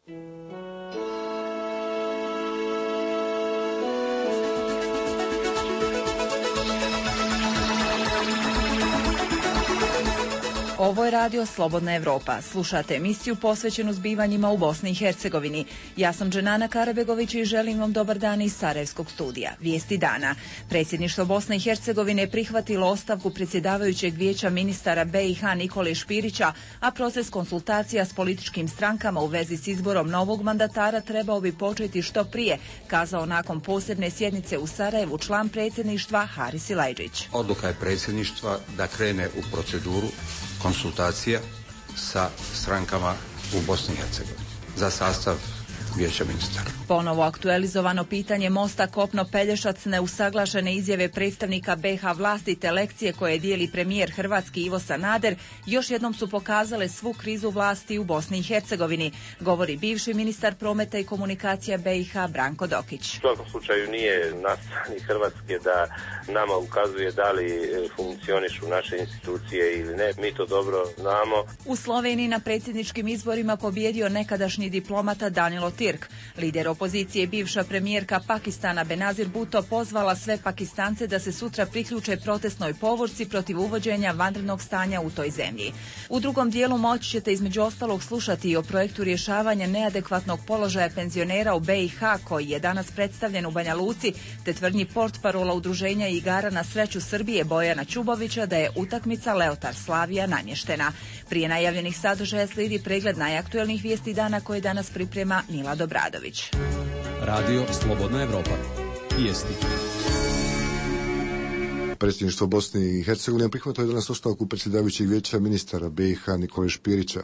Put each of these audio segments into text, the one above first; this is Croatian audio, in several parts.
Ovo je radio Slobodna Evropa. Slušate emisiju posvećenu zbivanjima u Bosni i Hercegovini. Ja sam Dženana Karabegović i želim vam dobar dan iz Sarajevskog studija. Vijesti dana. Predsjedništvo Bosne i Hercegovine je prihvatilo ostavku predsjedavajućeg vijeća ministara BiH Nikole Špirića, a proces konsultacija s političkim strankama u vezi s izborom novog mandatara trebao bi početi što prije, kazao nakon posebne sjednice u Sarajevu član predsjedništva Haris Silajdžić. Odluka je predsjedništva da krene u proceduru konsultacija sa strankama u Bosni i Hercegovini za sastav vijeća ministara. Ponovo aktualizovano pitanje mosta Kopno-Pelješac, neusaglašene izjave predstavnika BiH vlasti te lekcije koje dijeli premijer Hrvatski Ivo Sanader još jednom su pokazale svu krizu vlasti u Bosni i Hercegovini, govori bivši ministar prometa i komunikacija BiH Branko Dokić. U svakom slučaju nije na strani Hrvatske da nama ukazuje da li funkcionišu naše institucije ili ne. Mi to dobro znamo. U Sloveniji na predsjedničkim izborima pobjedio nekadašnji diplomata Danilo Tirk. Lider opozicije i bivša premijerka Pakistana Benazir Bhutto pozvala sve Pakistance da se sutra priključe protestnoj povorci protiv uvođenja vanrednog stanja u toj zemlji. U drugom dijelu moći ćete između ostalog slušati i o projektu rješavanja neadekvatnog položaja penzionera u BiH koji je danas predstavljen u Banja Luci, te tvrdnji portparola udruženja igara na sreću Srbije Bojana Čubovića da je utakmica Leotar Slavija namještena. Prije najavljenih sadržaja slijedi pregled najaktuelnijih vijesti dana koje danas priprema Mila Dobradović. Radio Slobodna Evropa. Vijesti. Predsjedništvo Bosne i Hercegovine prihvatilo je danas ostavku predsjedavajućeg vijeća ministara BiH Nikole Špirića.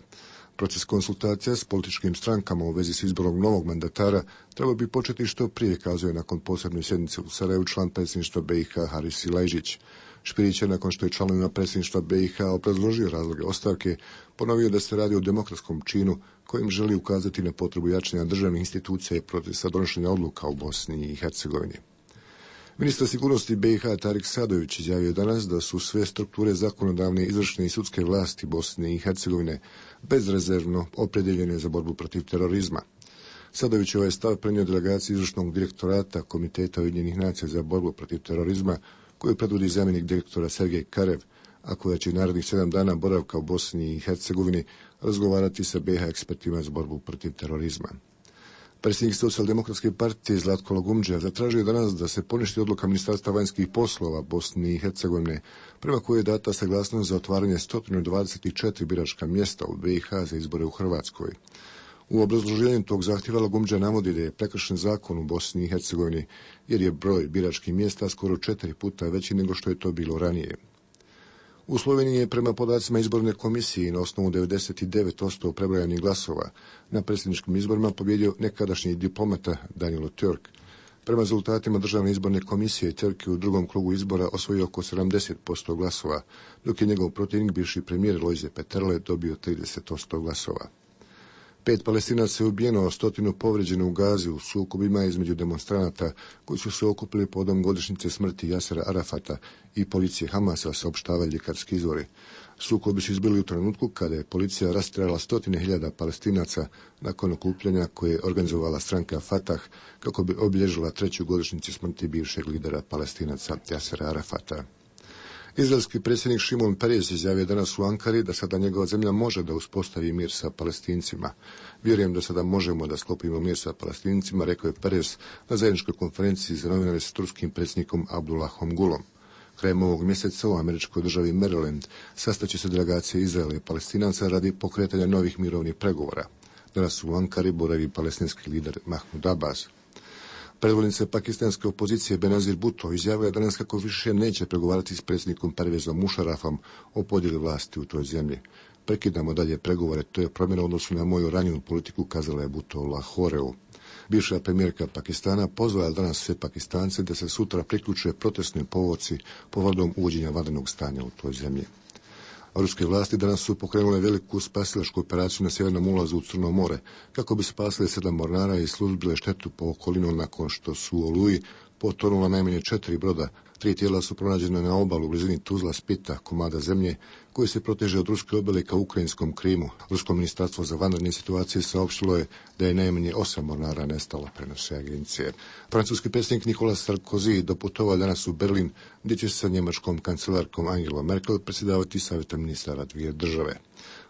Proces konsultacija s političkim strankama u vezi s izborom novog mandatara trebao bi početi što prije, kazuje nakon posebne sjednice u Sarajevu član predsjedništva BiH Haris Silajdžić. Špirić je, nakon što je članovima predsjedništva BiH obrazložio razloge ostavke, ponovio da se radi o demokratskom činu kojim želi ukazati na potrebu jačanja državnih institucija i procesa donošenja odluka u Bosni i Hercegovini. Ministar sigurnosti BiH Tarik Sadović izjavio danas da su sve strukture zakonodavne, izvršne i sudske vlasti Bosne i Hercegovine bezrezervno opredjeljene za borbu protiv terorizma. Sadović je ovaj stav prenio delegaciji izvršnog direktorata Komiteta Ujedinjenih nacija za borbu protiv terorizma, koju predvodi zamjenik direktora Sergej Karev, a koja će narednih 7 dana boravka u Bosni i Hercegovini razgovarati sa BiH ekspertima za borbu protiv terorizma. Predsjednik Socijaldemokratske partije Zlatko Lagumdžija zatražio je danas da se poništi odluka Ministarstva vanjskih poslova Bosne i Hercegovine, prema kojoj je data saglasnost za otvaranje 124 biračka mjesta u BiH za izbore u Hrvatskoj. U obrazloženju tog zahtjeva Lagumdžija navodi da je prekršen zakon u Bosni i Hercegovini, jer je broj biračkih mjesta skoro 4 puta veći nego što je to bilo ranije. U Sloveniji je prema podacima izborne komisije na osnovu 99% prebrojanih glasova na predsjedničkim izborima pobjedio nekadašnji diplomata Danilo Tirk. Prema rezultatima državne izborne komisije, Tirk je u drugom krugu izbora osvojio oko 70% glasova, dok je njegov protivnik, bivši premijer Lojze Peterle, dobio 30% glasova. 5 Palestinaca je ubijeno, 100 povrijeđeno u Gazi u sukobima između demonstranata koji su se okupili povodom godišnjice smrti Jasera Arafata i policije Hamasa, saopštavaju ljekarski izvori. Sukobi su izbili u trenutku kada je policija rastjerala 100.000 Palestinaca nakon okupljanja koje je organizovala stranka Fatah kako bi obilježila 3. godišnjicu smrti bivšeg lidera Palestinaca Jasera Arafata. Izraelski predsjednik Šimon Peres izjavio danas u Ankari da sada njegova zemlja može da uspostavi mir sa Palestincima. Vjerujem da sada možemo da sklopimo mir sa Palestincima, rekao je Peres na zajedničkoj konferenciji za novinare s turskim predsjednikom Abdullahom Gulom. Krajem ovog mjeseca u američkoj državi Maryland sastaće se delegacije Izraela i Palestinaca radi pokretanja novih mirovnih pregovora. Danas u Ankari boravi palestinski lider Mahmud Abbas. Predvodnica pakistanske opozicije Benazir Bhutto izjavila je danas kako više neće pregovarati s predsjednikom Pervezom Musharrafom o podjeli vlasti u toj zemlji. Prekidamo dalje pregovore, to je promjena u odnosu na moju ranjenu politiku, kazala je Bhutto u Lahoreu. Bivša premijerka Pakistana pozvala danas sve Pakistance da se sutra priključe protestnoj povorci povodom uvođenja vanrednog stanja u toj zemlji. Ruske vlasti danas su pokrenule veliku spasilačku operaciju na sjevernom ulazu u Crno more, kako bi spasile 7 mornara i suzbile štetu po okolinu nakon što su u Oluji potonula najmanje 4 broda, 3 tijela su pronađena na obalu u blizini Tuzla, Splita, komada zemlje koji se proteže od ruske obale ka ukrajinskom Krimu. Rusko ministarstvo za vanredne situacije saopštilo je da je najmanje 8 mornara nestalo, prenose agencije. Francuski predsjednik Nicolas Sarkozy doputovao danas u Berlin, gdje će sa njemačkom kancelarkom Angela Merkel predsjedavati savjeta ministara dvije države.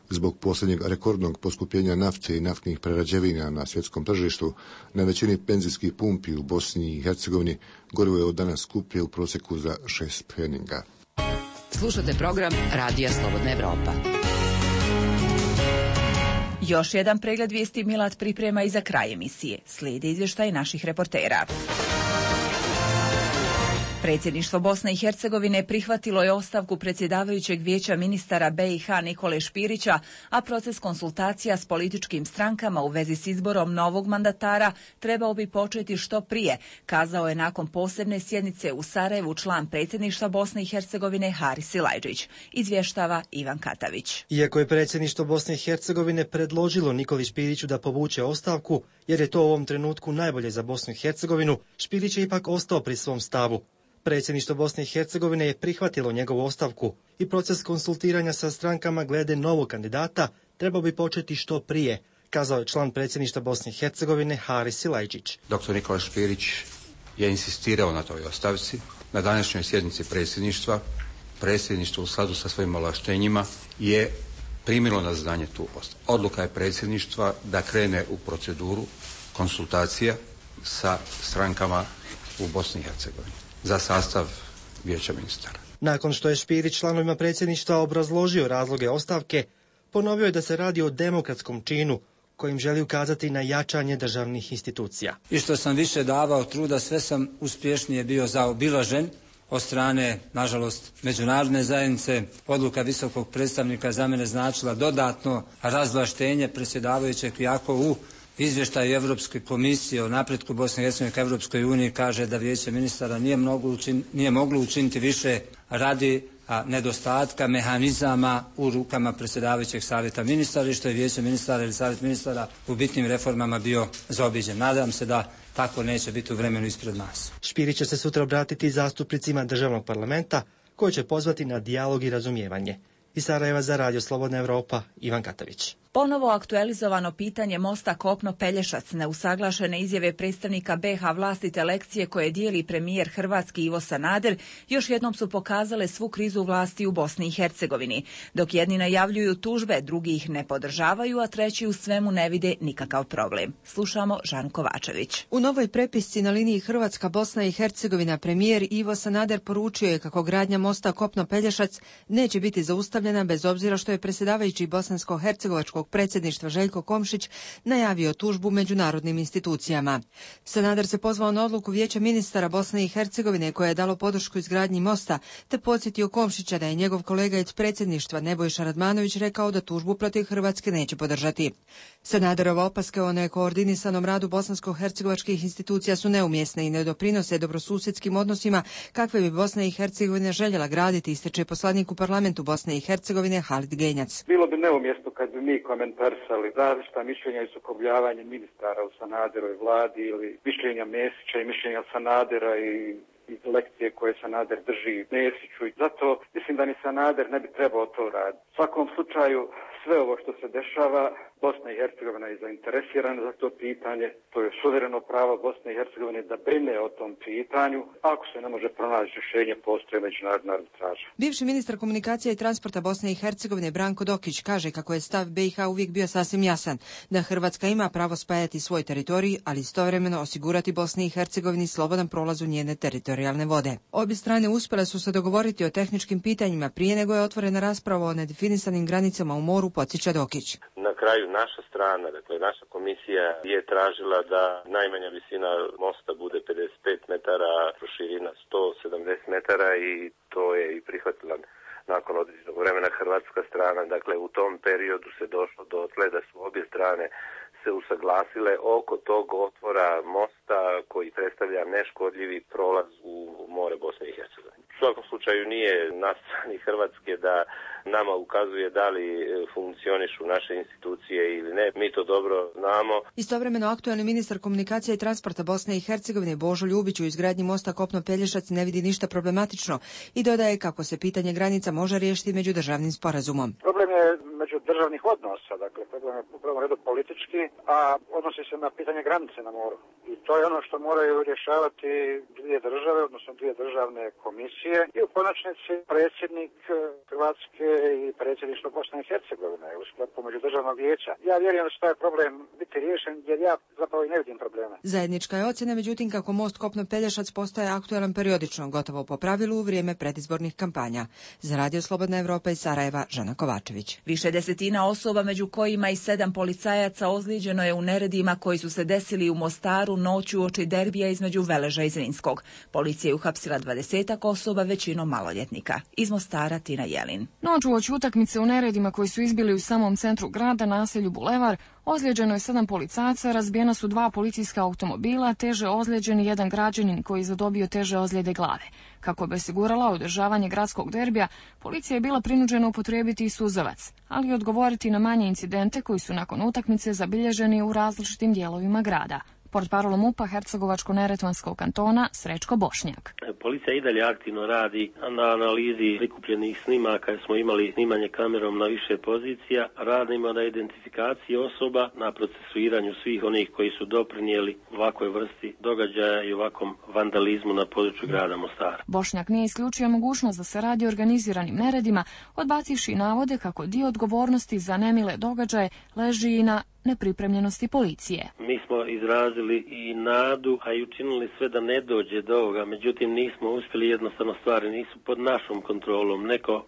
Zbog posljednjeg rekordnog poskupljenja nafte i naftnih prerađevina na svjetskom tržištu, na većini benzinskih pumpi u Bosni i Hercegovini gorivo je od danas skuplje u prosjeku za 6 pfeninga. Slušate program Radija Slobodna Evropa. Još jedan pregled vijesti Milad priprema i za kraj emisije. Slijedi izvještaj naših reportera. Predsjedništvo Bosne i Hercegovine prihvatilo je ostavku predsjedavajućeg vijeća ministara BiH Nikole Špirića, a proces konsultacija s političkim strankama u vezi s izborom novog mandatara trebao bi početi što prije, kazao je nakon posebne sjednice u Sarajevu član predsjedništva Bosne i Hercegovine Haris Silajdžić. Izvještava Ivan Katavić. Iako je predsjedništvo Bosne i Hercegovine predložilo Nikoli Špiriću da povuče ostavku, jer je to u ovom trenutku najbolje za Bosnu i Hercegovinu, Špirić je ipak ostao pri svom stavu. Predsjedništvo Bosne i Hercegovine je prihvatilo njegovu ostavku i proces konsultiranja sa strankama glede novog kandidata trebao bi početi što prije, kazao je član predsjedništva Bosne i Hercegovine Haris Silajdžić. Dr. Nikola Špirić je insistirao na toj ostavci. Na današnjoj sjednici predsjedništvo u skladu sa svojim ovlaštenjima je primilo na znanje tu ostavku. Odluka je predsjedništva da krene u proceduru konsultacija sa strankama u Bosni i Hercegovini za sastav vijeća ministara. Nakon što je Špirić članovima predsjedništva obrazložio razloge ostavke, ponovio je da se radi o demokratskom činu kojim želi ukazati na jačanje državnih institucija. I što sam više davao truda, sve sam uspješnije bio zaobilažen od strane, nažalost, međunarodne zajednice. Odluka visokog predstavnika za mene značila dodatno razvlaštenje predsjedavajućeg, iako u izvještaju Europske komisije o napretku Bosne i Hercegovine ka Europskoj uniji kaže da vijeće ministara nije moglo učiniti više radi nedostatka mehanizama u rukama predsjedavajućeg savjeta ministara i što je vijeće ministara ili savjet ministara u bitnim reformama bio zaobiđen. Nadam se da tako neće biti u vremenu ispred nas. Špirić će se sutra obratiti zastupnicima državnog parlamenta koji će pozvati na dijalog i razumijevanje. Iz Sarajeva za Radio Slobodna Evropa, Ivan Katavić. Ponovo aktualizovano pitanje mosta Kopno-Pelješac, neusaglašene izjave predstavnika BiH vlastite lekcije koje dijeli premijer hrvatski Ivo Sanader, još jednom su pokazale svu krizu vlasti u Bosni i Hercegovini. Dok jedni najavljuju tužbe, drugi ih ne podržavaju, a treći u svemu ne vide nikakav problem. Slušamo Žanu Kovačević. U novoj prepisci na liniji Hrvatska, Bosna i Hercegovina premijer Ivo Sanader poručio je kako gradnja mosta Kopno-Pelješac neće biti zaustavljena bez obzira što je predsjedavajući bosansko-hercegovačkog predsjedništva Željko Komšić najavio tužbu međunarodnim institucijama. Sanader se pozvao na odluku vijeća ministara Bosne i Hercegovine koje je dalo podršku izgradnji mosta, te podsjetio Komšića da je njegov kolega iz predsjedništva Nebojša Radmanović rekao da tužbu protiv Hrvatske neće podržati. Sanaderova opaske o nekoordinisanom radu bosansko-hercegovačkih institucija su neumjesne i ne doprinose dobrosusjedskim odnosima kakve bi Bosna i Hercegovina željela graditi, ističe poslanik u parlamentu Bosne i Hercegovine Halid Genjac. Bilo bi neumjesno kad bi mi komentarisali različita mišljenja i sukobljavanje ministara u Sanaderovoj vladi ili mišljenja Mesića i mišljenja Sanadera i lekcije koje Sanader drži Mesiću. I zato mislim da ni Sanader ne bi trebao to raditi. U svakom slučaju sve ovo što se dešava, Bosna i Hercegovina je zainteresirana za to pitanje. To je suvereno pravo Bosne i Hercegovine da brine o tom pitanju. Ako se ne može pronaći rješenje, postoje međunarodna arbitraža. Bivši ministar komunikacija i transporta Bosne i Hercegovine Branko Dokić kaže kako je stav BiH uvijek bio sasvim jasan, da Hrvatska ima pravo spajati svoj teritorij, ali istovremeno osigurati Bosni i Hercegovini slobodan prolaz u njene teritorijalne vode. Obje strane uspjele su se dogovoriti o tehničkim pitanjima prije nego je otvorena rasprava o nedefinisanim granicama u moru, podsjeća Dokić. Na kraju naša strana, dakle naša komisija je tražila da najmanja visina mosta bude 55 metara, proširina 170 metara i to je i prihvatila nakon određenog vremena hrvatska strana. Dakle, u tom periodu se došlo dotle da su obje strane se usaglasile oko tog otvora mosta koji predstavlja neškodljivi prolaz u more Bosne i Hercegovine. U svakom slučaju nije na strani Hrvatske da nama ukazuje da li funkcionišu naše institucije ili ne. Mi to dobro znamo. Istovremeno aktualni ministar komunikacije i transporta Bosne i Hercegovine Božo Ljubić u izgradnji mosta Kopno-Pelješac ne vidi ništa problematično i dodaje kako se pitanje granica može riješiti međudržavnim sporazumom. Problem je međudržavnih odnosa, dakle problem je u prvom redu politički, a odnosi se na pitanje granice na moru. I to je ono što moraju rješavati dvije države, odnosno dvije državne komisije i u konačnici predsjednik Hrvatske i predsjedništvo Bosne i Hercegovine u sklopu međudržavnog vijeća. Ja vjerujem da će taj problem biti riješen jer ja zapravo i ne vidim problema. Zajednička je ocjena, međutim, kako most Kopno-Pelješac postaje aktualan periodično, gotovo po pravilu u vrijeme predizbornih kampanja. Za Radio Slobodna Evropa iz Sarajeva, Žana Kovačević. Više desetina osoba, među kojima i 7 policajaca, ozlijeđeno je u neredima koji su se desili u Mostaru noću uoči derbija između Veleža i Zrinskog. Policija je uhapsila 20 osoba, većinom maloljetnika. Iz Mostara Tina Jelin. Noć uoči utakmice u neredima koji su izbili u samom centru grada, naselju Bulevar, ozlijeđeno je 7 policajaca, razbijena su 2 policijska automobila, teže ozlijeđeni jedan građanin koji je zadobio teže ozljede glave. Kako bi osigurala održavanje gradskog derbija, policija je bila prinuđena upotrijebiti i suzavac, ali i odgovoriti na manje incidente koji su nakon utakmice zabilježeni u različitim dijelovima grada. Portparol MUP-a Hercegovačko-neretvanskog kantona Srećko Bošnjak. Policija i dalje aktivno radi na analizi prikupljenih snimaka, jer smo imali snimanje kamerom na više pozicija. Radimo na identifikaciji osoba, na procesuiranju svih onih koji su doprinijeli ovakvoj vrsti događaja i ovakvom vandalizmu na području grada Mostara. Bošnjak nije isključio mogućnost da se radi o organiziranim neredima, odbacivši navode kako dio odgovornosti za nemile događaje leži i na nepripremljenosti policije. Mi smo izrazili i nadu, a i učinili sve da ne dođe do ovoga, međutim nismo uspjeli, jednostavno stvari nisu pod našom kontrolom. Neko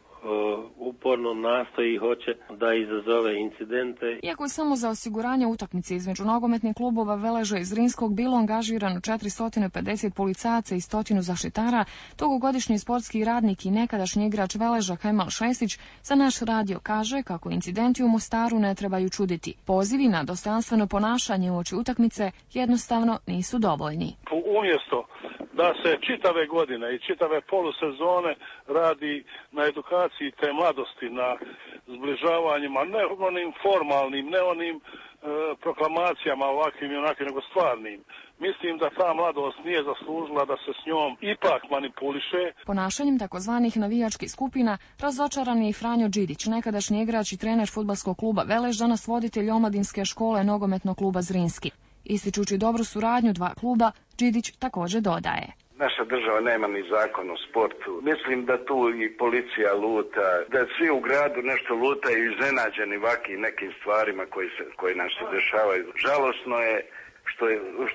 uporno nastoji i hoće da izazove incidente. Iako je samo za osiguranje utakmice između nogometnih klubova Veleža i Zrinskog bilo angažirano 450 policajaca i 100 zaštitara, dugogodišnji sportski radnik i nekadašnji igrač Veleža Kemal Šestić za naš radio kaže kako incidenti u Mostaru ne trebaju čuditi. Pozivi na dostojanstveno ponašanje uoči utakmice jednostavno nisu dovoljni. Umjesto da se čitave godine i čitave polusezone radi na edukaciji te mladosti, na zbližavanjima, ne onim formalnim, ne onim proklamacijama ovakvim i onakvim, nego stvarnim. Mislim da ta mladost nije zaslužila da se s njom ipak manipuliše. Ponašanjem takozvanih navijačkih skupina razočaran je i Franjo Đidić, nekadašnji igrač i trener fudbalskog kluba Velež, danas voditelj omladinske škole nogometnog kluba Zrinski. Ističući dobru suradnju dva kluba, Đidić također dodaje. Naša država nema ni zakon o sportu. Mislim da tu i policija luta, da svi u gradu nešto lutaju iznenađeni ovakvim nekim stvarima koji nam se dešavaju. Žalosno je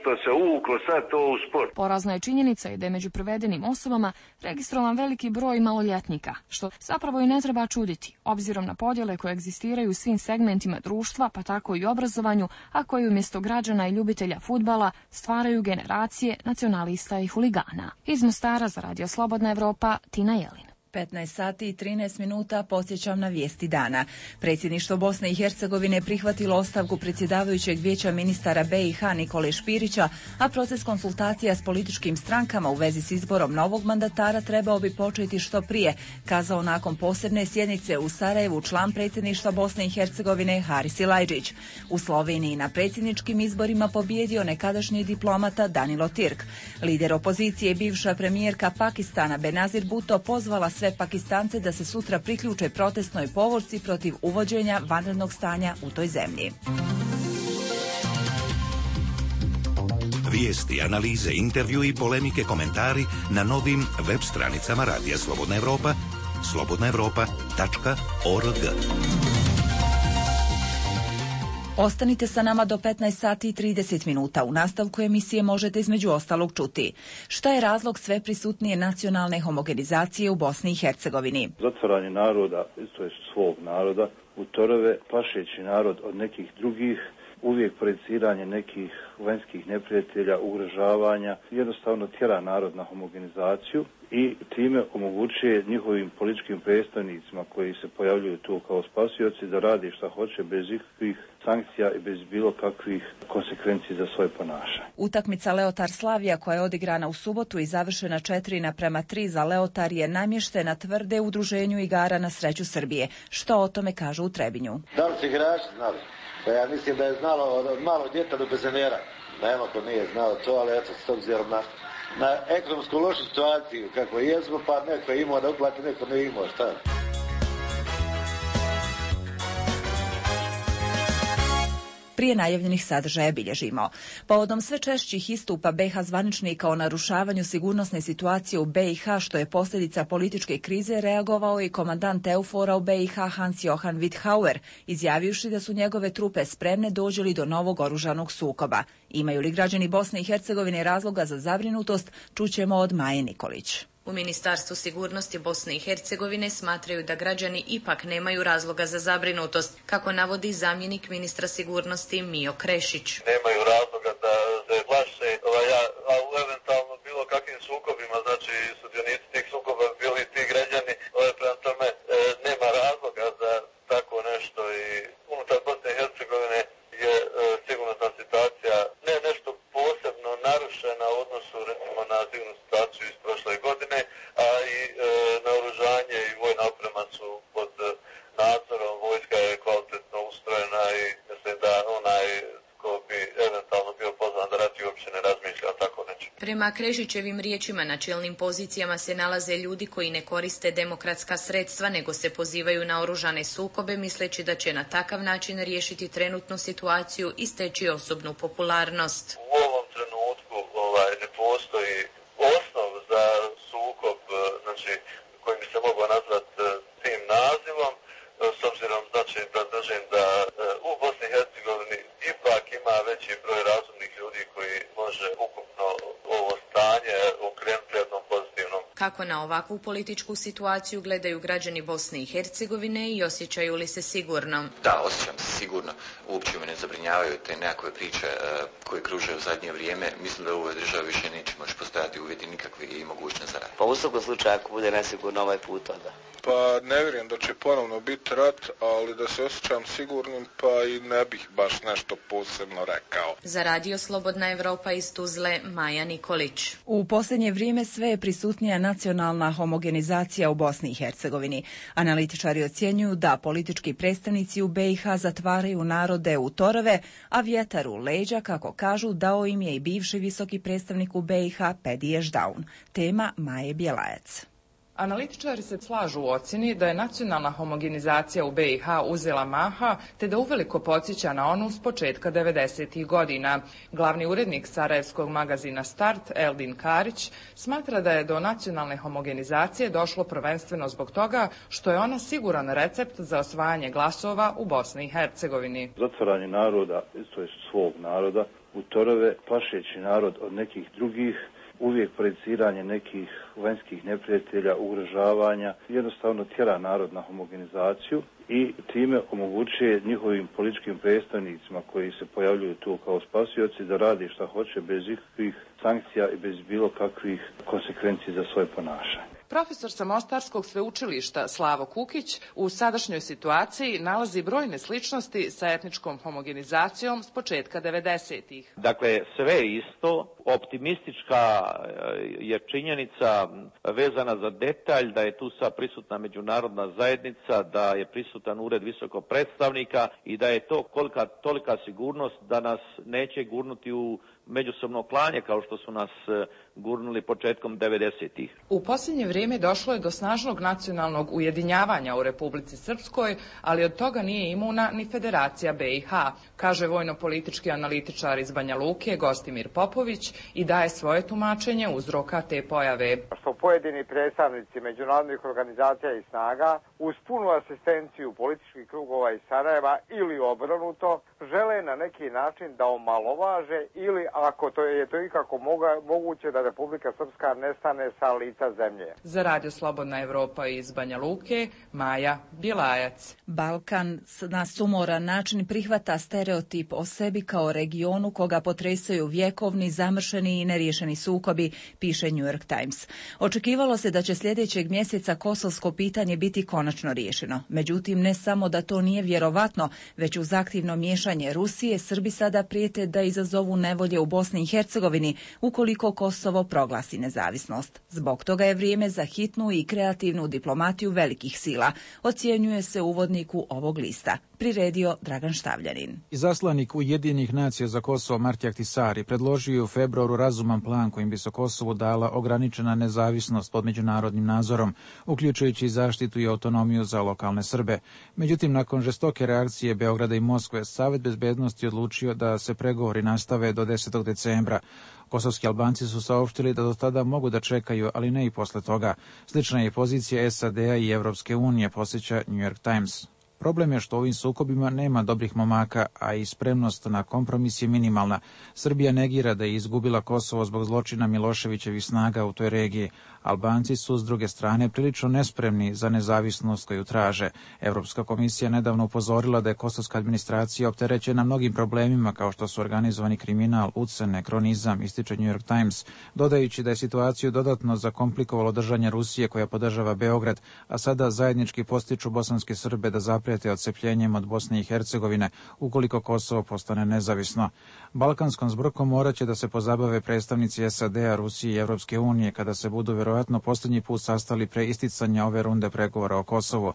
što se uvuklo sad to u sport. Porazna je činjenica i da je među privedenim osobama registrovan veliki broj maloljetnika, što zapravo i ne treba čuditi, obzirom na podjele koje egzistiraju u svim segmentima društva, pa tako i obrazovanju, a koji umjesto građana i ljubitelja fudbala stvaraju generacije nacionalista i huligana. Iz Mostara za Radio Slobodna Evropa, Tina Jelin. 15 sati i 13 minuta podsjećam na vijesti dana. Predsjedništvo Bosne i Hercegovine prihvatilo ostavku predsjedavajućeg vijeća ministara BiH Nikole Špirića, a proces konsultacija s političkim strankama u vezi s izborom novog mandatara trebao bi početi što prije, kazao nakon posebne sjednice u Sarajevu član predsjedništva Bosne i Hercegovine Haris Silajdžić. U Sloveniji na predsjedničkim izborima pobijedio nekadašnji diplomata Danilo Tirk. Lider opozicije, bivša premijerka Pakistana Benazir Bhutto pozvala sve Pakistance da se sutra priključe protestnoj povorci protiv uvođenja vanrednog stanja u toj zemlji. Vijesti, analize, intervju i polemike, komentari na novim web stranicama Radija Slobodna Evropa, slobodnaevropa.org. Ostanite sa nama do 15 sati i 30 minuta. U nastavku emisije možete između ostalog čuti. Šta je razlog sve prisutnije nacionalne homogenizacije u Bosni i Hercegovini? Zatvaranje naroda, to je svog naroda, u torove, plašeći narod od nekih drugih, uvijek projeciranje nekih vanjskih neprijatelja, ugrožavanja, jednostavno tjera narod na homogenizaciju i time omogućuje njihovim političkim predstavnicima koji se pojavljuju tu kao spasioci da radi šta hoće bez ikakvih sankcija i bez bilo kakvih konsekvenci za svoje ponašanje. Utakmica Leotar Slavija koja je odigrana u subotu i završena 4:3 za Leotar je namještena tvrde Udruženju igara na sreću Srbije. Što o tome kažu u Trebinju? Da li su igrači znali? Pa ja mislim da je znalo od malog djeta do penzionera. Nema ko nije znao to, ali eto, s obzirom na ekonomsku lošu situaciju kako jesmo, pa neko je imao da uplati, neko ne imao, šta? Prije najavljenih sadržaja bilježimo. Povodom sve češćih istupa BiH zvaničnika o narušavanju sigurnosne situacije u BiH, što je posljedica političke krize, reagovao i komandant EUFOR-a u BiH Hans-Johann Witthauer, izjavivši da su njegove trupe spremne dođe li do novog oružanog sukoba. Imaju li građani Bosne i Hercegovine razloga za zabrinutost, čućemo od Maje Nikolić. U Ministarstvu sigurnosti Bosne i Hercegovine smatraju da građani ipak nemaju razloga za zabrinutost, kako navodi zamjenik ministra sigurnosti Mijo Krešić. Nemaju razloga da se plaše, a u eventualno bilo kakvim sukobima, znači sudionici tih sukoba bili ti građani, prema tome nema razloga za tako nešto i unutar Bosne i Hercegovine je sigurnosna situacija ne nešto posebno narušena u odnosu recimo na sigurnosnu situaciju iz prošle godine, a i naoružanje i vojna oprema su pod nadzorom, vojska je kvalitetno ustrojena i mislim da onaj ko bi eventualno bio pozvan da rati uopće ne razmišlja o tako nečem. Prema Krešićevim riječima na čelnim pozicijama se nalaze ljudi koji ne koriste demokratska sredstva nego se pozivaju na oružane sukobe misleći da će na takav način riješiti trenutnu situaciju i steći osobnu popularnost. U ovom trenutku ne postoji osnov za sukob, znači koji bi se mogao nazvati tim nazivom, s obzirom znači da držim da u Bosni i Hercegovini ipak ima veći broj razumnih ljudi koji može ukupno ovo stanje okrenuti jednom pozitivnom. Kako na ovakvu političku situaciju gledaju građani Bosne i Hercegovine i osjećaju li se sigurno? Da, osjećam se sigurno. Uopće me ne zabrinjavaju te nekakve priče koje kruže u zadnje vrijeme. Mislim da u ovoj državi više neće moći postojati uvjeti nikakvi i mogućnost za rad. Pa u svakom slučaju ako bude nesigurno ovaj put, onda. Pa ne vjerujem da će ponovno biti rat, ali da se osjećam sigurnim, pa i ne bih baš nešto posebno rekao. Za Radio Slobodna Evropa iz Tuzle, Maja Nikolić. U posljednje vrijeme sve je prisutnija nacionalna homogenizacija u Bosni i Hercegovini. Analitičari ocjenjuju da politički predstavnici u BiH zatvaraju narode u torove, a vjetar u leđa, kako kažu, dao im je i bivši visoki predstavnik u BiH Pedi Ešdaun. Tema Maje Bjelajac. Analitičari se slažu u ocjeni da je nacionalna homogenizacija u BiH uzela maha, te da uveliko podsjeća na onu s početka 90. godina. Glavni urednik sarajevskog magazina Start, Eldin Karić, smatra da je do nacionalne homogenizacije došlo prvenstveno zbog toga što je ona siguran recept za osvajanje glasova u Bosni i Hercegovini. Zatvaranje naroda, to je svog naroda, u torove, plašeći narod od nekih drugih, uvijek projeciranje nekih vanjskih neprijatelja, ugrožavanja, jednostavno tjera narod na homogenizaciju i time omogućuje njihovim političkim predstavnicima koji se pojavljuju tu kao spasioci da radi šta hoće bez ikakvih sankcija i bez bilo kakvih konsekvenci za svoje ponašanje. Profesor sa Mostarskog sveučilišta Slavo Kukić u sadašnjoj situaciji nalazi brojne sličnosti sa etničkom homogenizacijom s početka 90-ih. Dakle, sve isto, optimistička je činjenica vezana za detalj da je tu sad prisutna međunarodna zajednica, da je prisutan ured visokog predstavnika i da je to tolika sigurnost da nas neće gurnuti u međusobno klanje kao što su nas gurnuli početkom 90-ih. U posljednje vrijeme došlo je do snažnog nacionalnog ujedinjavanja u Republici Srpskoj, ali od toga nije imuna ni Federacija BiH, kaže vojno-politički analitičar iz Banja Luke Gostimir Popović i daje svoje tumačenje uzroka te pojave. Što pojedini predstavnici međunarodnih organizacija i snaga uz punu asistenciju političkih krugova iz Sarajeva ili obrnuto žele na neki način da omalovaže ili ako to je to ikako moguće da Republika Srpska nestane sa lica zemlje. Za Radio Slobodna Evropa iz Banja Luke, Maja Bjelajac. Balkan na sumoran način prihvata stereotip o sebi kao regionu koga potresaju vjekovni, zamršeni i neriješeni sukobi, piše New York Times. Očekivalo se da će sljedećeg mjeseca kosovsko pitanje biti konačno riješeno. Međutim, ne samo da to nije vjerovatno, već uz aktivno miješanje Rusije, Srbi sada prijete da izazovu nevolje u Bosni i Hercegovini ukoliko Kosovo proglasi nezavisnost. Zbog toga je vrijeme za hitnu i kreativnu diplomatiju velikih sila, ocjenjuje se uvodniku ovog lista. Priredio Dragan Štavljanin. Izaslanik Ujedinjenih nacija za Kosovo Marti Ahtisaari predložio je u februaru razuman plan kojim bi se Kosovu dala ograničena nezavisnost pod međunarodnim nadzorom, uključujući zaštitu i autonomiju za lokalne Srbe. Međutim, nakon žestoke reakcije Beograda i Moskve, Savet bezbednosti odlučio da se pregovori nastave do 10. decembra. Kosovski Albanci su saopštili da do tada mogu da čekaju, ali ne i posle toga. Slična je pozicija SAD-a i Evropske unije, posjeća New York Times. Problem je što u ovim sukobima nema dobrih momaka, a i spremnost na kompromis je minimalna. Srbija negira da je izgubila Kosovo zbog zločina Miloševićevih snaga u toj regiji. Albanci su, s druge strane, prilično nespremni za nezavisnost koju traže. Evropska komisija nedavno upozorila da je kosovska administracija opterećena mnogim problemima kao što su organizovani kriminal, ucene, kronizam, ističe New York Times, dodajući da je situaciju dodatno zakomplikovalo držanje Rusije koja podržava Beograd, a sada zajednički postiču bosanske Srbe da zaprijete odcepljenjem od Bosne i Hercegovine ukoliko Kosovo postane nezavisno. Balkanskom zbrkom morat će da se pozabave predstavnici SAD-a, Rusije i Evropske unije kada se budu vjerojatno posljednji put sastali pre isticanja ove runde pregovora o Kosovu.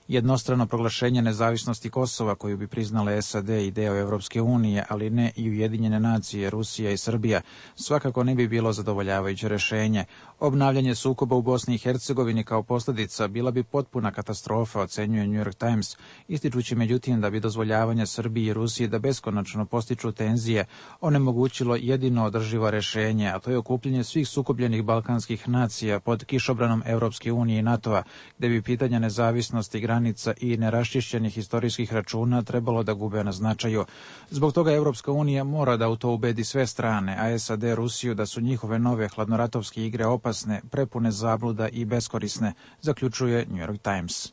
Jednostrano proglašenje nezavisnosti Kosova koju bi priznale SAD i deo Evropske unije, ali ne i Ujedinjene nacije, Rusija i Srbija, svakako ne bi bilo zadovoljavajuće rješenje. Obnavljanje sukoba u Bosni i Hercegovini kao posljedica bila bi potpuna katastrofa, ocenjuje New York Times, ističući međutim da bi dozvoljavanje Srbiji i Rusiji da beskonačno postiču tenzije onemogućilo jedino održivo rješenje, a to je okupljanje svih sukobljenih balkanskih nacija pod kišobranom Evropske unije i NATO-a, gdje bi pitanja nezavisnosti, granica i neraščišćenih historijskih računa trebalo da gube na značaju. Zbog toga Evropska unija mora da u to ubedi sve strane, a SAD Rusiju da su njihove nove hladnoratovske igre opasne, prepune zabluda i beskorisne, zaključuje New York Times.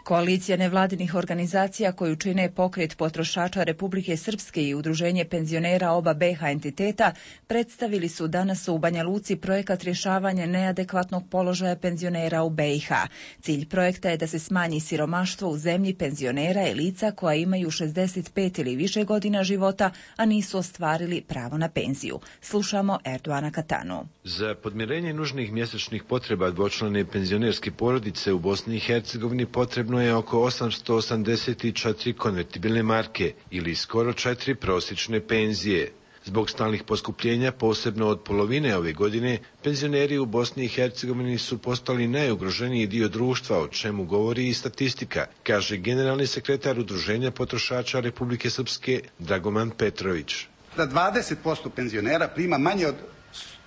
Koalicija nevladinih organizacija koju čine Pokret potrošača Republike Srpske i Udruženje penzionera oba BiH entiteta predstavili su danas u Banja Luci projekat rješavanja neadekvatnog položaja penzionera u BiH. Cilj projekta je da se smanji siromaštvo u zemlji penzionera i lica koja imaju 65 ili više godina života, a nisu ostvarili pravo na penziju. Slušamo Erdoana Katanu. Za podmirenje nužnih mjesečnih potreba dvočlane penzionerske porodice u Bosni i Hercegovini potrebno je oko 884 konvertibilne marke ili skoro 4 prosječne penzije. Zbog stalnih poskupljenja, posebno od polovine ove godine, penzioneri u Bosni i Hercegovini su postali najugroženiji dio društva, o čemu govori i statistika, kaže generalni sekretar Udruženja potrošača Republike Srpske Dragoman Petrović. Da 20% penzionera prima manje od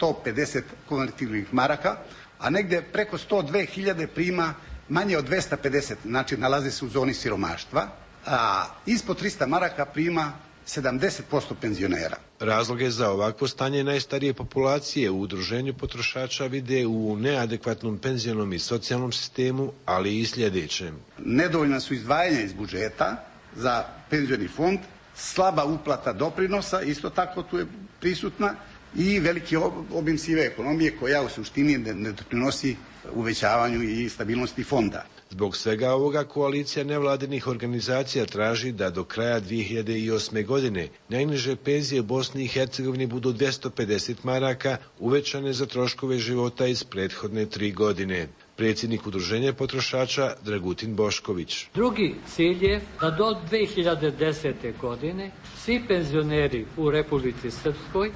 150 konvertibilnih maraka, a negdje preko 102.000 prima manje od 250, znači nalazi se u zoni siromaštva, a ispod 300 maraka prima 70% penzionera. Razloge za ovakvo stanje najstarije populacije u Udruženju potrošača vide u neadekvatnom penzionom i socijalnom sistemu, ali i sljedećem. Nedovoljna su izdvajanja iz budžeta za penzioni fond, slaba uplata doprinosa, isto tako tu je prisutna, i veliki obim sive ekonomije koja u suštini ne doprinosi uvećavanju i stabilnosti fonda. Zbog svega ovoga koalicija nevladinih organizacija traži da do kraja 2008. godine najniže penzije u Bosni i Hercegovini budu 250 maraka, uvećane za troškove života iz prethodne 3 godine. Predsjednik Udruženja potrošača Dragutin Bošković. Drugi cilj je da do 2010. godine svi penzioneri u Republici Srpskoj,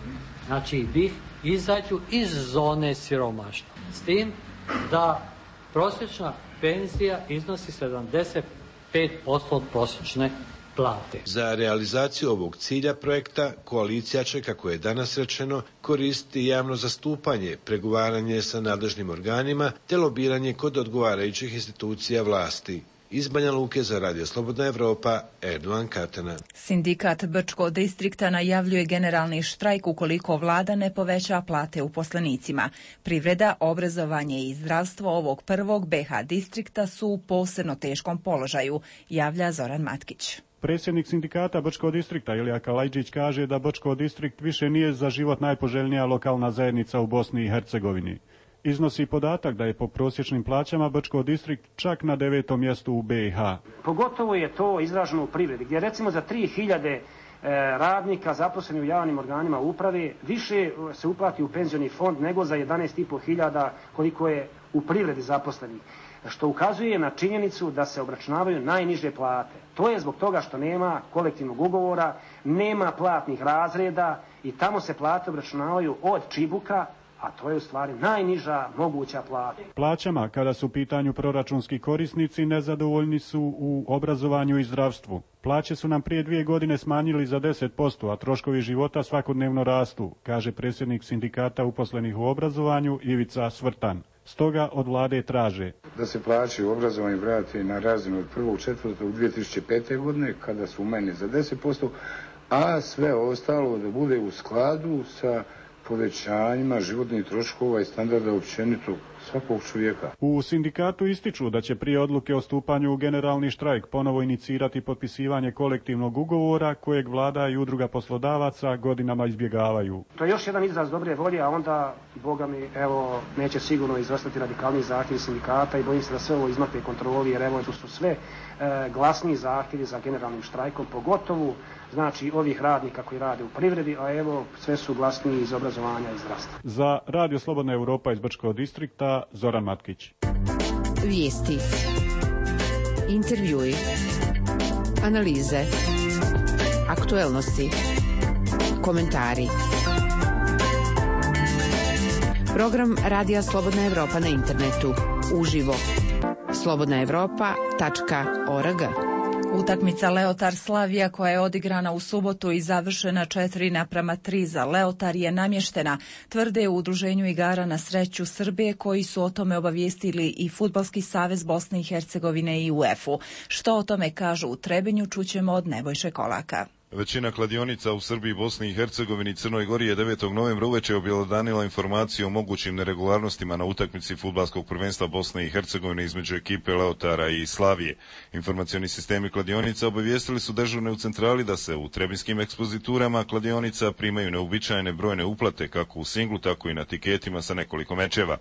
znači BiH, izađu iz zone siromaštva. S tim da prosječna penzija iznosi 75% od prosječne plate. Za realizaciju ovog cilja projekta koalicija će, kako je danas rečeno, koristiti javno zastupanje, pregovaranje sa nadležnim organima te lobiranje kod odgovarajućih institucija vlasti. Iz Banja Luke za Radio Slobodna Evropa, Erdovan Katana. Sindikat Brčkog distrikta najavljuje generalni štrajk ukoliko vlada ne poveća plate uposlenicima. Privreda, obrazovanje i zdravstvo ovog prvog BH distrikta su u posebno teškom položaju, javlja Zoran Matkić. Predsjednik sindikata Brčkog distrikta Ilija Kalajđić kaže da Brčko distrikt više nije za život najpoželjnija lokalna zajednica u Bosni i Hercegovini. Iznosi podatak da je po prosječnim plaćama Brčko distrikt čak na 9. mjestu u BiH. Pogotovo je to izraženo u privredi, gdje recimo za 3000 radnika zaposleni u javnim organima uprave više se uplati u penzioni fond nego za 11.500 koliko je u privredi zaposlenih, što ukazuje na činjenicu da se obračunavaju najniže plate. To je zbog toga što nema kolektivnog ugovora, nema platnih razreda i tamo se plate obračunavaju od čibuka, a to je u stvari najniža moguća plata. Plaćama, kada su u pitanju proračunski korisnici, nezadovoljni su u obrazovanju i zdravstvu. Plaće su nam prije 2 godine smanjili za 10%, a troškovi života svakodnevno rastu, kaže predsjednik sindikata uposlenih u obrazovanju Ivica Svrtan. Stoga od vlade traže da se plaće u obrazovanju vrati na razinu od 1.4.2005. godine, kada su umanjeni za 10%, a sve ostalo da bude u skladu sa povećanjima životnih troškova i standarda općenito svakog čovjeka. U sindikatu ističu da će prije odluke o stupanju u generalni štrajk ponovo inicirati potpisivanje kolektivnog ugovora kojeg vlada i udruga poslodavaca godinama izbjegavaju. To je još jedan izraz dobre volje, a onda, boga mi, evo, neće sigurno izostati radikalni zahtjevi sindikata i bojim se da sve ovo izmakne kontroli, jer evo, to su sve glasni zahtjevi za generalnim štrajkom, pogotovo znači ovih radnika koji rade u privredi, a evo sve su glasniji iz obrazovanja i zdravstva. Za Radio Slobodna Evropa iz Brčkog distrikta, Zoran Matkić. Vijesti, intervjui, analize, aktuelnosti, komentari. Program Radija Slobodna Evropa na internetu, uživo, slobodnaevropa.org. Utakmica Leotar Slavija koja je odigrana u subotu i završena 4:3 za Leotar je namještena, tvrde u Udruženju igara na sreću Srbije koji su o tome obavijestili i Fudbalski savez Bosne i Hercegovine i UEFA-u. Što o tome kažu u Trebinju čućemo od Nebojše Kolaka. Većina kladionica u Srbiji, Bosni i Hercegovini i Crnoj Gori je 9. novembra uveče objelodanila informaciju o mogućim neregularnostima na utakmici fudbalskog prvenstva Bosne i Hercegovine između ekipe Leotara i Slavije. Informacioni sistemi kladionica obavijestili su dežurne u centrali da se u trebinskim ekspoziturama kladionica primaju neuobičajene brojne uplate kako u singlu, tako i na tiketima sa nekoliko mečeva.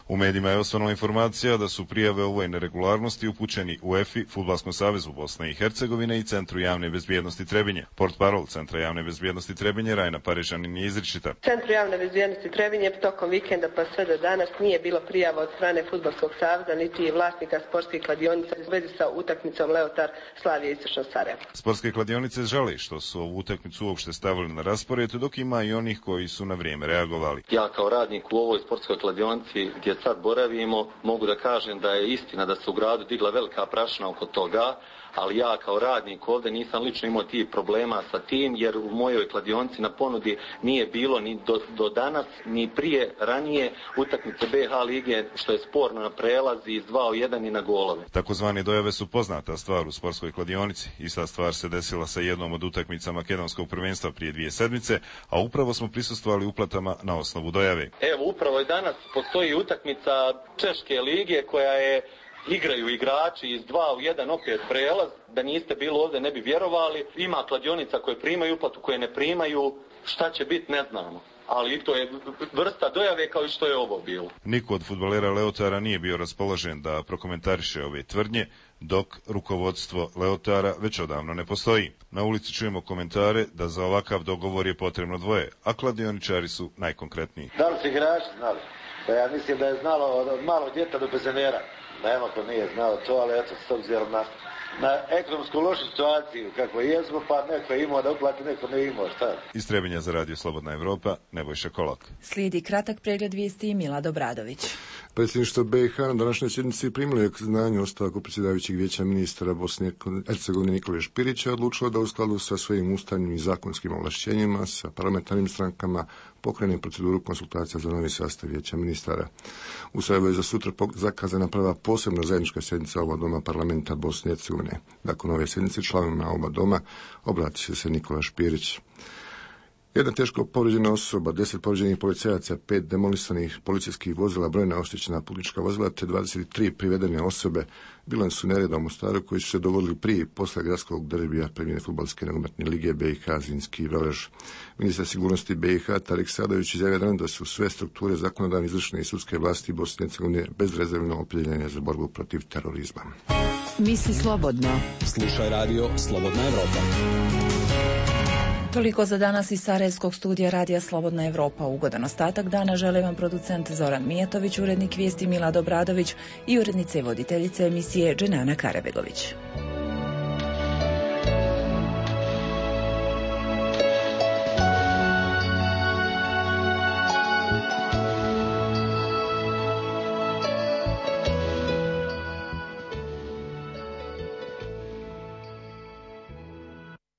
U medijima je osvanula informacija da su prijave ovoj neregularnosti upućeni UEFA-i, Fudbalskom savezu Bosne i Hercegovine i Centru javne bezbjednosti Trebinje. Portparol Centra javne bezbjednosti Trebinje, Rajna Parižanin, je izričita. Centru javne bezbjednosti Trebinje tokom vikenda pa sve do danas nije bilo prijava od strane Fudbalskog saveza niti vlasnika sportskih kladionica u vezi sa utakmicom Leotar Slavija Istočno Sarajevo. Sportske kladionice žale što su ovu utakmicu uopšte stavili na raspored, dok ima i onih koji su na vrijeme reagovali. Ja kao radnik u ovoj sportskoj kladionici gdje sad boravimo mogu da kažem da je istina da se u gradu digla velika prašina oko toga, ali ja kao radnik ovdje nisam lično imao tih problema sa tim, jer u mojoj kladionici na ponudi nije bilo ni do danas, ni prije ranije utakmice BH lige, što je sporno na prelazi iz 2-1 i na golove. Takozvane dojave su poznata stvar u sportskoj kladionici. Ista stvar se desila sa jednom od utakmica makedonskog prvenstva prije 2 sedmice, a upravo smo prisustvovali uplatama na osnovu dojave. Evo, upravo i danas postoji utakmica Češke lige koja je igraju igrači iz 2-1 opet prelaz, da niste bilo ovdje ne bi vjerovali. Ima kladionica koje primaju uplatu, koje ne primaju, šta će biti ne znamo. Ali to je vrsta dojave kao i što je ovo bilo. Niko od fudbalera Leotara nije bio raspoložen da prokomentariše ove tvrdnje, dok rukovodstvo Leotara već odavno ne postoji. Na ulici čujemo komentare da za ovakav dogovor je potrebno dvoje, a kladioničari su najkonkretniji. Da li su igrači znali? Pa ja mislim da je znalo od malog djeta do penzionera. Nema ko nije znao to, ali eto, s obzirom na ekonomsku lošu situaciju kako jesmo, pa neko je imao da uplati, neko ne imao, šta? Iz Trebinja za Radio Slobodna Evropa, Nebojša Kolak. Slijedi kratak pregled vijesti Milad Obradović. Predsjedništvo BiH na današnjoj sjednici primilo je k znanju ostavku predsjedavajućeg vijeća ministra Bosne i Hercegovine Nikole Špirića, odlučilo da u skladu sa svojim ustavnim i zakonskim ovlašćenjima sa parlamentarnim strankama pokrene proceduru konsultacija za novi sastav vijeća ministara. U Sarajevu je za sutra zakazana prva posebna zajednička sjednica oba doma parlamenta Bosne i Hercegovine. Nakon ove sjednice članovima oba doma obratit će se Nikola Špirić. Jedna teško povrijeđena osoba, 10 povrijeđenih policajaca, 5 demolisanih policijskih vozila, brojna oštećena putnička vozila te 23 privedene osobe bilan su nereda u Mostaru koji su se dogodili prije i posle gradskog derbija premijerne fudbalske nogometne lige BiH Zrinski i Velež. Ministar sigurnosti BiH Tarik Sadović izjavio da su sve strukture zakonodavne, izvršne i sudske vlasti Bosne i Hercegovine bezrezervno opredjeljene za borbu protiv terorizma. Misli slobodno. Slušaj radio Slobodna Evropa. Toliko za danas iz Sarajevskog studija Radija Slobodna Evropa. Ugodan ostatak dana žele vam producent Zoran Mijatović, urednik vijesti Milad Obradović i urednica i voditeljica emisije Dženana Karabegović.